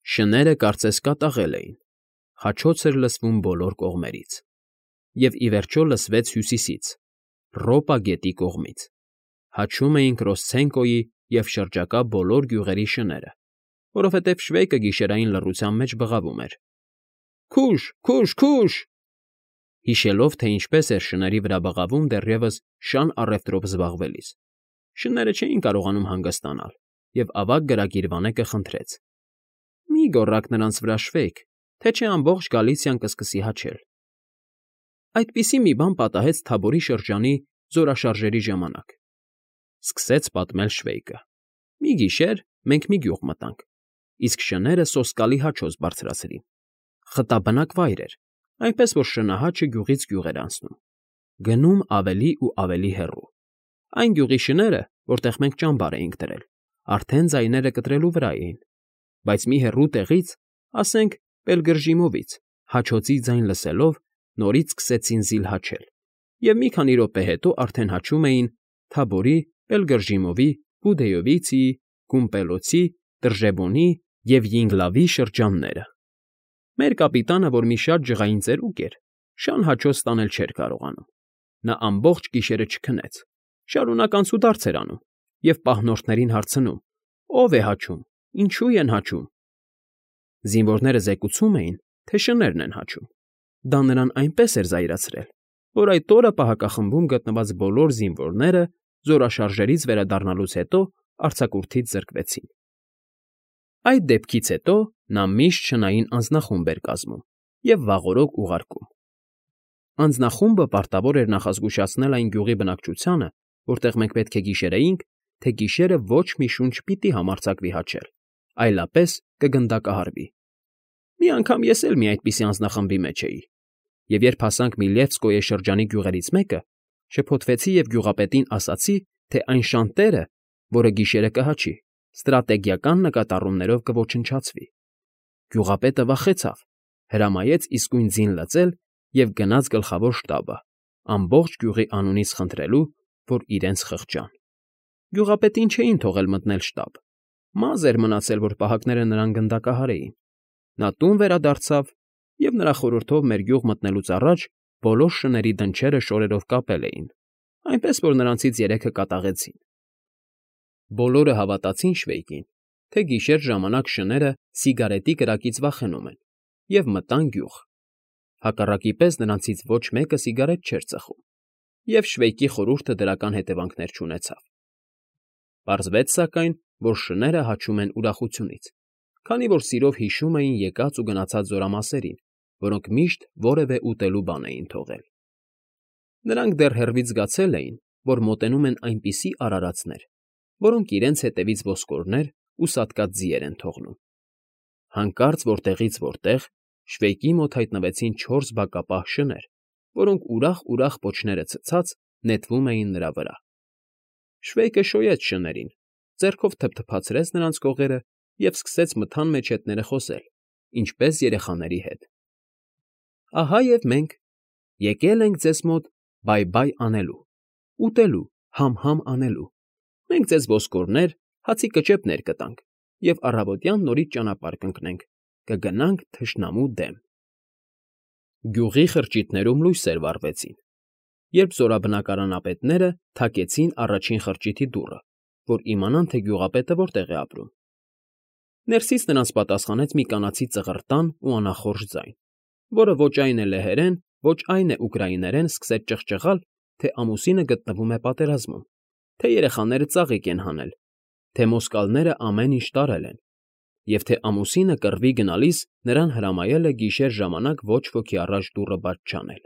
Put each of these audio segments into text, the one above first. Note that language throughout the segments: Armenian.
Շները կարծես կատաղել էին, խաչոց էր լսվում բոլոր կողմերից, և ի վերջո լսվեց հյուսիսից, Ռոպա գետի կողմից. հաչում էին Կրոսցենկոյի և շրջակա բոլոր գյուղերի շները, որովհետև Շվեյկը գիշերային լռության մեջ բղավում էր. «Քուշ, քուշ, քուշ»։ Հիշելով, թե ինչպես էր շների վրա բղավում դեռևս շան առևտրով զբաղվելիս, շները չէին կարողանում հանգստանալ, և ավագ գրագիրվանեկը խնդրեց. «Մի՛ գոռաք նրանց վրա, Շվեյք, թե չէ ամբողջ Գալիցիան կսկսի հաչել»։ Այդպիսի մի բան պատահեց Թաբորի շրջանի զորաշարժերի ժամանակ,֊ սկսեց պատմել Շվեյկը։ «Մի գիշեր մենք մի գյուղ մտանք, իսկ շները սոսկալի հաչոց բարձրացրին։ Խտաբնակ վայր էր, այնպես որ շնահաչը գյուղից գյուղ էր անցնում, գնում ավելի ու ավելի հեռու։ Այն գյուղի շները, որտեղ մենք ճամբար էինք դրել, արդեն ձայները կտրելու վրա էին, բայց մի հեռու տեղից, ասենք Պելգրժիմովից, հաչոցի ձայն լսելով, նորից սկսեցին զիլ հաչել, և մի քանի րոպե հետո արդեն հաչում էին Թաբորի, Պելգրժիմովի, Բուդեյովիցիի, Գումպելոցի, Տրժեբոնի և Յինգլավի շրջանները։ Մեր կապիտանը, որ մի շատ ջղային ծերուկ էր, շան հաչոց տանել չէր կարողանում։ Նա ամբողջ գիշերը չքնեց, շարունակ անցուդարձ էր անում և պահնորդներին հարցնում. «Ո՞վ է հաչում, ինչու են հաչում»։ Զինվորները զեկուցում էին, թե շներն են հաչում։ Դա նրան այնպես էր զայրացրել, որ այդ օրը պահակախմբում գտնված բոլոր զինվորները զորաշարժերից վերադառնալուց հետո արձակուրդից զրկվեցին։ Այդ դեպքից հետո նա միշտ շնային անձնախումբ էր կազմում և վաղօրոք ուղարկում։ Անձնախումբը պարտավոր էր նախազգուշացնել այն գյուղի բնակչությանը, որտեղ մենք պետք է գիշերեինք, թե գիշերը ոչ մի շունչ պիտի համարձակվի հաչել, այլապես կգնդակահարվի։ Մի անգամ ես էլ մի այդպիսի անձնախմբի մեջ էի, և երբ հասանք Միլևսկոյե շրջանի գյուղերից մեկը, շփոթվեցի և գյուղապետին ասացի, թե այն շան տերը, որը գիշերը կհաչի, ստրատեգիական նկատառումներով կոչնչացվի։ Գյուղապետը վախեցավ, հրամայեց իսկույն ձին լծել և գնաց գլխավոր շտաբը, ամբողջ գյուղի անունից խնդրելու, որ իրենց խղճան։ Գյուղապետին չէին թողել մտնել շտաբ, մազը էր մնացել, որ պահակները նրան գնդակահարեին։ Նա տուն վերադարձավ և նրա խորհրդով մեր գյուղ մտնելուց առաջ բոլոր շների դնչերը շորերով կապել էին, այնպես որ նրանցից երեքը կատաղեցին։ Բոլորը հավատացին Շվեյկին, թե գիշեր ժամանակ շները սիգարետի կրակից վախենում են, և մտան գյուղ։ Հակառակի պես նրանցից ոչ մեկը սիգարետ չէր ծխում, և Շվեյկի խորհուրդը դրական հետևանքներ չունեցավ։ Պարզվեց, սակայն, որ շները հաչում են ուրախությունից, քանի որ սիրով հիշում էին եկած ու գնացած զորամասերին, որոնք միշտ որևէ ուտելու բան էին թողել։ Նրանք դեռ հեռվից զգացել էին, որ մոտենում են այնպիսի արարածներ, որոնք իրենց հետևից ոսկորներ ու սատկած ձիեր են թողնում։ Հանկարծ որտեղից որտեղ Շվեյկի մոտ հայտնվեցին 4 բակապահ շներ, որոնք ուրախ պոչները ցցած նետվում էին նրա վրա։ Շվեյկը շոյեց շներին, ձեռքով թփթփացրեց նրանց կողերը և սկսեց մթան մեջետները խոսել, ինչպես երեխաների հետ. «Ահա և մենք եկել ենք ձեզ մոտ բայ֊բայ անելու, ուտելու, համ֊համ անելու։ Մենք ձեզ ոսկորներ, հացի կճեպներ կտանք և առավոտյան նորից ճանապարհ կընկնենք, կգնանք թշնամու դեմ»։ Գյուղի խրճիթներում լույսեր վառվեցին, երբ զորաբնակարանապետները թակեցին առաջին խրճիթի դուռը, որ իմանան, թե գյուղապետը որտեղ է ապրում։ Ներսից նրանց պատասխանեց մի կանացի ծղրտան ու անախորժ ձայն, որը ոչ այն է լեհերեն, ոչ այն է ուկրաիներեն սկսեց ճղճղալ, թե ամուսինը գտնվում է պատերազմում, թե երեխաները ծաղիկ են հանել, թե մոսկալները ամեն ինչ տարել են, և թե ամուսինը կռվի գնալիս նրան հրամայել է գիշեր ժամանակ ոչ ոքի առաջ դուռը բաց չանել։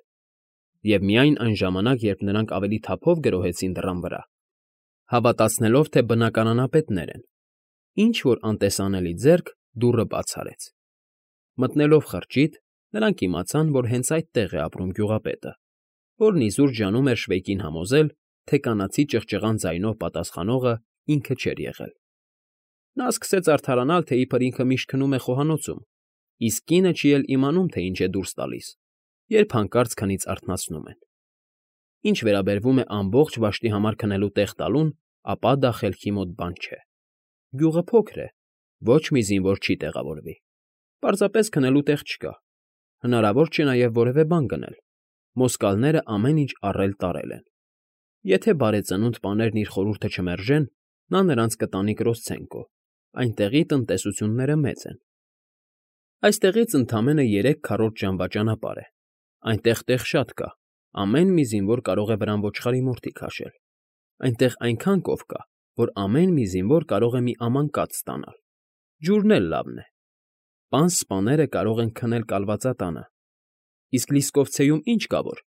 Եվ միայն այն ժամանակ, երբ նրանք ավելի թափով գրոհեցին դռան վրա, հավատացնելով, թե բնակարանապետներ են, ինչ֊որ անտեսանելի ձեռք դուռը բաց արեց։ Մտնելով խրճիթ, նրանք իմացան, որ հենց այդտեղ է ապրում գյուղապետը, որն իզուր ջանում էր Շվեյկին համոզել, թե կանացի ճղճղան ձայնով պատասխանողը ինքը չէր եղել։ Նա սկսեց արդարանալ, թե իբր ինքը միշտ քնում է խոհանոցում, իսկ կինը չի էլ իմանում, թե ինչ է դուրս տալիս, երբ հանկարծ քնից արթնացնում են։ Ինչ վերաբերվում է ամբողջ վաշտի համար քնելու տեղ տալուն, ապա դա խելքի մոտ բան չէ։ Գյուղը փոքր է, ոչ մի զինվոր չի տեղավորվի։ Պարզապես քնելու տեղ չկա։ Հնարավոր չէ նաև որևէ բան գնել։ Մոսկալները ամեն ինչ առել֊տարել են։ Եթե բարեծնունդ պաներն իր խորհուրդը չմերժեն, նա նրանց կտանի Կրոսցենկո, այնտեղի տնտեսությունները մեծ են։ Այստեղից ընդամենը 3 ժամվա ճանապարհ է։ Այնտեղ տեղ շատ կա, ամեն մի զինվոր կարող է վրան ոչխարի մորթի քաշել։ Այնտեղ այնքան կով կա, որ ամեն մի զինվոր կարող է մի աման կաթ ստանալ։ Ջուրն էլ լավն է։ Պանս սպաները կարող են քնել կալվածատանը։ Իսկ Լիսկովցեում ինչ կա որ։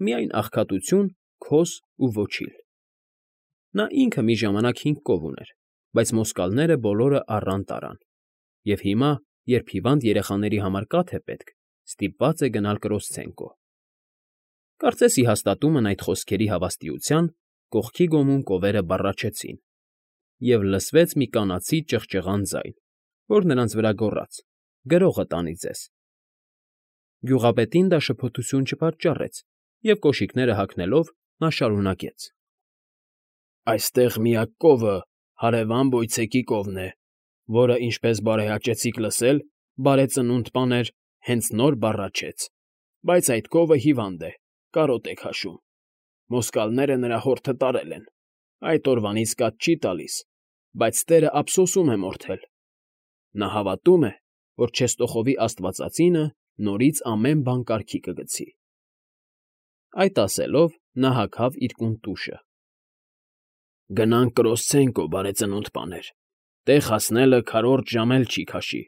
Միայն աղքատություն, քոս ու ոչիլ։ Նա ինքը մի ժամանակ 5 կով ուներ, բայց մոսկալները բոլորը առան տարան։ Եվ հիմա, երբ հիվանդ երեխաների համար կաթ է պետք, ստիպված է գնալ Կրոսցենկո։ Կարծես ի հաստատումն այդ խոսքերի հավաստիության կողքի գոմում կովերը բառաչեցին, և լսվեց մի կանացի ճղճղան ձայն, որ նրանց վրա գոռաց. «Գրողը տանի ձեզ»։ Գյուղապետին դա շփոթություն չպատճառեց, և կոշիկները հագնելով նա շարունակեց. «Այստեղ միակ կովը հարևան Վոյցեկի կովն է, որը, ինչպես բարեհաճեցիք լսել, բարեծնունդ պաներ, հենց նոր բառաչեց, բայց այդ կովը հիվանդ է, կարոտ է քաշում։ Մոսկալները նրա հորթը տարել են, այդ օրվանից կաթ չի տալիս, բայց տերը ափսոսում է մորթել։ Նա հավատում է, որ Չեստոխովի աստվածածինը նորից ամեն բան կարգի կգցի»։ Այդ ասելով նա հագավ իր կունտուշը։ «Գնանք Կրոսցենկո, բարեծնունդ պաներ, տեղ հասնելը քառորդ ժամ էլ չի քաշի,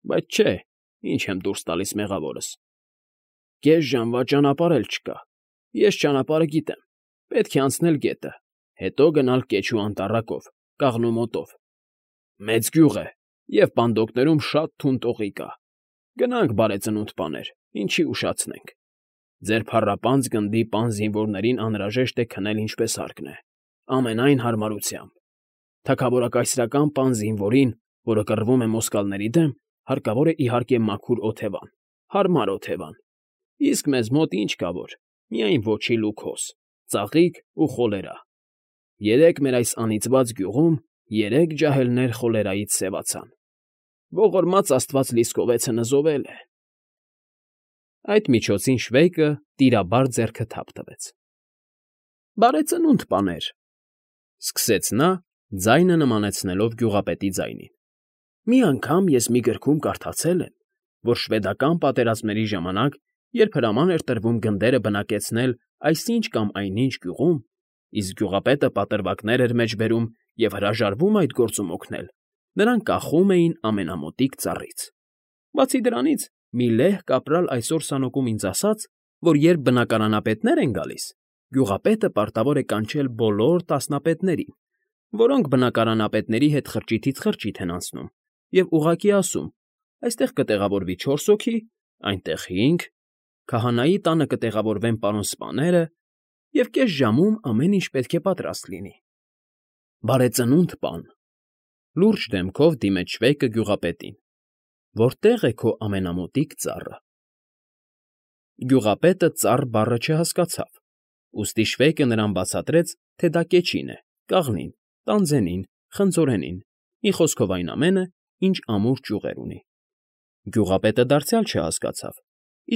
բայց չէ, ինչ եմ դուրս տալիս մեղավորս։ Կես ժամվա ճանապարհ էլ չկա, ես ճանապարհը գիտեմ, պետք է անցնել գետը, հետո գնալ Կեչու անտառակով, կաղնու մոտով։ Մեծ գյուղ է, և պանդոկներում շատ թունդ օղի կա։ Գնանք, բարեծնունդ պաներ, ինչի ուշացնենք։ Ձեր փառապանծ գնդի պան զինվորներին անհրաժեշտ է քնել ինչպես հարկն է, ամենայն հարմարությամբ։ Թագավորակայսրական պան զինվորին, որը կռվում է մոսկալների դեմ, հարկավոր է իհարկե մաքուր օթևան, հարմար օթևան։ Իսկ մեզ մոտ ինչ կա որ, միայն ոչիլ ու քոս, ծաղիկ ու խոլերա։ Երեկ մեր այս անիծված գյուղում 3 ջահելներ խոլերայից սևացան։ Ողորմած աստված Լիսկովեցը նզովել է»։ Այդ միջոցին Շվեյկը տիրաբար ձեռքը թափ տվեց։ «Բարեծնունդ պաներ», սկսեց նա, ձայնը նմանեցնելով գյուղապետի ձայնին։ «Մի անգամ ես մի գրքում կարդացել եմ, որ շվեդական պատերազմների ժամանակ, երբ հրաման էր տրվում գնդերը բնակեցնել այսինչ կամ այնինչ գյուղում, իսկ գյուղապետը պատրվակներ էր մեջ բերում և հրաժարվում այդ գործում օգնել, նրան կախում էին ամենամոտիկ ծառից։ Բացի դրանից, մի լեհ կապրալ այսօր սանոկում ինձ ասաց, որ երբ բնակարանապետներ են գալիս, գյուղապետը պարտավոր է կանչել բոլոր տասնապետներին, որոնք բնակարանապետների հետ խրճիթից խրճիթ են անցնում, և ուղղակի ասում. այստեղ կտեղավորվի 4 հոգի, այնտեղ 5, քահանայի տանը կտեղավորվեն պարոն սպաները, և կես ժամում ամեն ինչ պետք է պատրաստ լինի։ Բարեծնունդ պան, լուրջ դեմքով դիմեց Շվեյկը գյուղապետին, որտե՞ղ է քո ամենամոտիկ ծառը։ Գյուղապետը ծառ բառը չհասկացավ, ուստի Շվեյկը նրան բացատրեց, թե դա կեչին է, կաղնին, տանձենին, խնձորենին, մի խոսքով այն ամենը, ինչ ամուր ճյուղեր ունի։ Գյուղապետը դարձյալ չհասկացավ,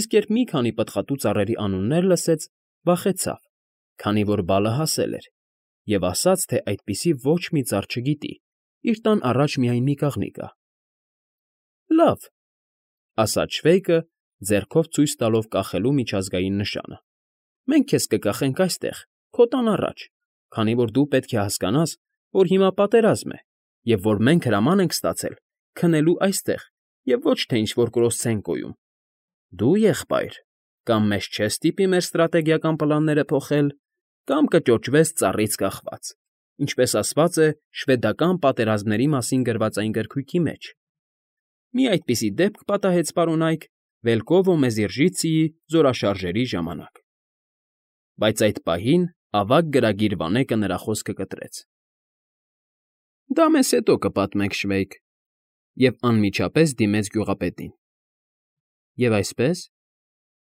իսկ երբ մի քանի պտղատու ծառերի անուններ լսեց, վախեցավ, քանի որ բալը հասել էր, և ասաց, թե այդպիսի ոչ մի ծառ չգիտի, իր տան առաջ միայն մի կաղնի կա։ Լավ, ասաց Շվեյկը, ձեռքով ցույց տալով կախելու միջազգային նշանը։ Մենք քեզ կկախենք այստեղ, քո տան առաջ, քանի որ դու պետք է հասկանաս, որ հիմա պատերազմ է, և որ մենք հրաման ենք ստացել քնելու այստեղ, և ոչ թե ինչ֊որ Կրոսցենկոյում։ Դու, եղբայր, կամ մեզ չես ստիպի մեր ստրատեգիական պլանները փոխել, կամ կճոճվես ծառից կախված, ինչպես ասված է շվեդական պատերազմների մասին գրված այն գրքույկի մեջ։ Մի այդպիսի դեպք պատահեց պարոնայք Վելկովո Մեզիրժիցիի զորաշարժերի ժամանակ։ Բայց այդ պահին ավագ գրագիր Վանեկը նրա խոսքը կտրեց. Դա մեզ հետո կպատմեք, Շվեյկ, և անմիջապես դիմեց գյուղապետին։ Եվ այսպես,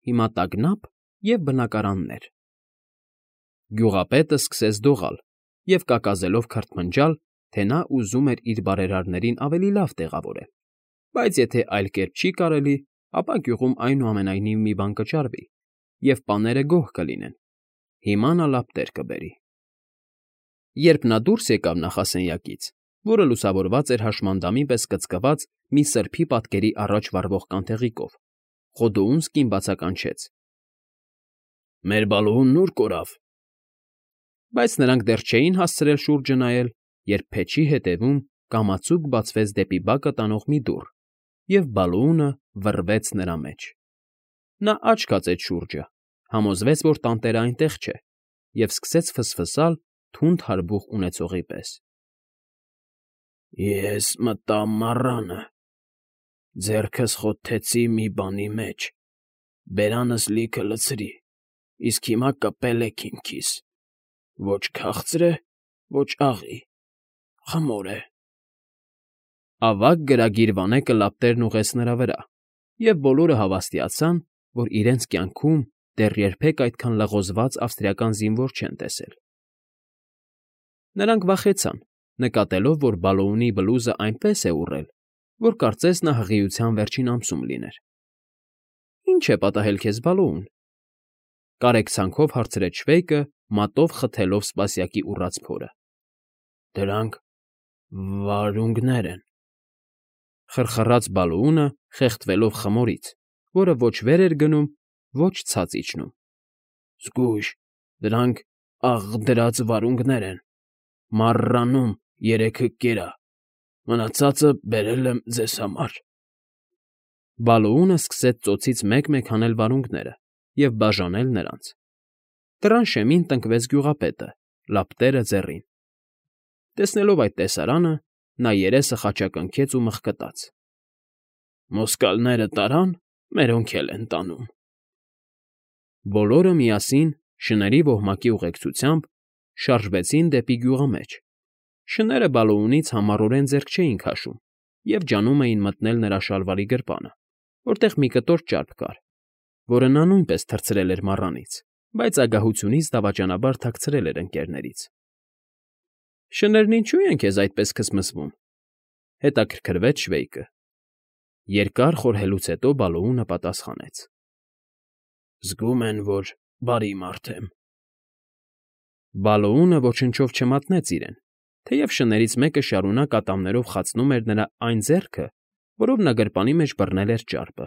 հիմա տագնապ և բնակարաններ։ Գյուղապետը սկսեց դողալ և կակազելով քրթմնջալ, թե նա ուզում էր իր բարերարներին ավելի լավ տեղավորել։ բայց եթե այլ կերպ չի կարելի, ապա գյուղում այնուամենայնիվ մի բան կճարվի, և պաները գոհ կլինեն։ Հիմա նա լապտեր կբերի։ Երբ նա դուրս եկավ նախասենյակից, որը լուսավորված էր հաշմանդամի պես կծկված մի սրբի պատկերի առաջ վառվող կանթեղիկով, Խոդոունսկին բացականչեց. «Մեր Բալոունն ուր կորավ»։ Բայց նրանք դեռ չէին հասցրել շուրջը նայել, երբ փեչի ետևում կամացուկ բացվեց դեպի բակը տանող մի դուռ, և Բալոունը վռվեց նրա մեջ։ Նա աչք հացեց շուրջը, համոզվեց, որ տանտերը այնտեղ չէ, և սկսեց ֆսֆսալ թունդ հարբուխ ունեցողի պես. «Ես մտա մառանը, ձեռքս խոթեցի մի բանի մեջ, բերանս լիքը լցրի, իսկ հիմա կպելեք իմ քիս. ոչ քաղցր է, ոչ աղի, խմոր է»։ Ավագ գրագիր վանեկը լապտերն ուղղեց նրա վրա, և բոլորը հավաստիացան, որ իրենց կյանքում դեռ երբեք այդքան լղոզված ավստրիական զինվոր չեն տեսել։ Նրանք վախեցան, նկատելով, որ Բալոունի բլուզը այնպես է ուռել, որ կարծես նա հղիության վերջին ամսում լիներ։ «Ի՞նչ է պատահել քեզ, Բալոուն», կարեկցանքով հարցրեց Շվեյկը, մատով խթելով սպասյակի ուռած փորը։ «Դրանք վարունգներ են», խրխռաց Բալոունը, խեղդվելով խմորից, որը ոչ վեր էր գնում, ոչ ցած իջնում։ «Զգույշ, դրանք աղդրած վարունգներ են, մառանում երեքը կերա, մնացածը բերել եմ ձեզ համար»։ Բալոունը սկսեց ծոցից մեկ֊մեկ հանել վարունգները և բաժանել նրանց։ Դռան շեմին տնկվեց գյուղապետը, լապտերը ձեռին։ Տեսնելով այդ տեսարանը, նա երեսը խաչակնքեց ու մղկտաց. «Մոսկալները տարան, մերոնք էլ են տանում»։ Բոլորը միասին, շների ոհմակի ուղեկցությամբ, շարժվեցին դեպի գյուղամեջ։ Շները Բալոունից համառորեն ձեռք չէին քաշում և ջանում էին մտնել նրա շալվարի գրպանը, որտեղ մի կտոր ճարպ կար, որը նա նույնպես թռցրել էր մառանից, բայց ագահությունից դավաճանաբար թաքցրել էր ընկներներից։ «Շներն ինչո՞ւ են քեզ այդպես քսմսվում», հետաքրքրվեց Շվեյկը։ Երկար խորհելուց հետո Բալոունը պատասխանեց. «Զգում են, որ բարի մարդ եմ»։ Բալոունը ոչնչով չմատնեց իրեն, թեև շներից մեկը շարունակ ատամներով խացնում էր նրա այն ձեռքը, որով նա գրպանի մեջ բռնել էր ճարպը։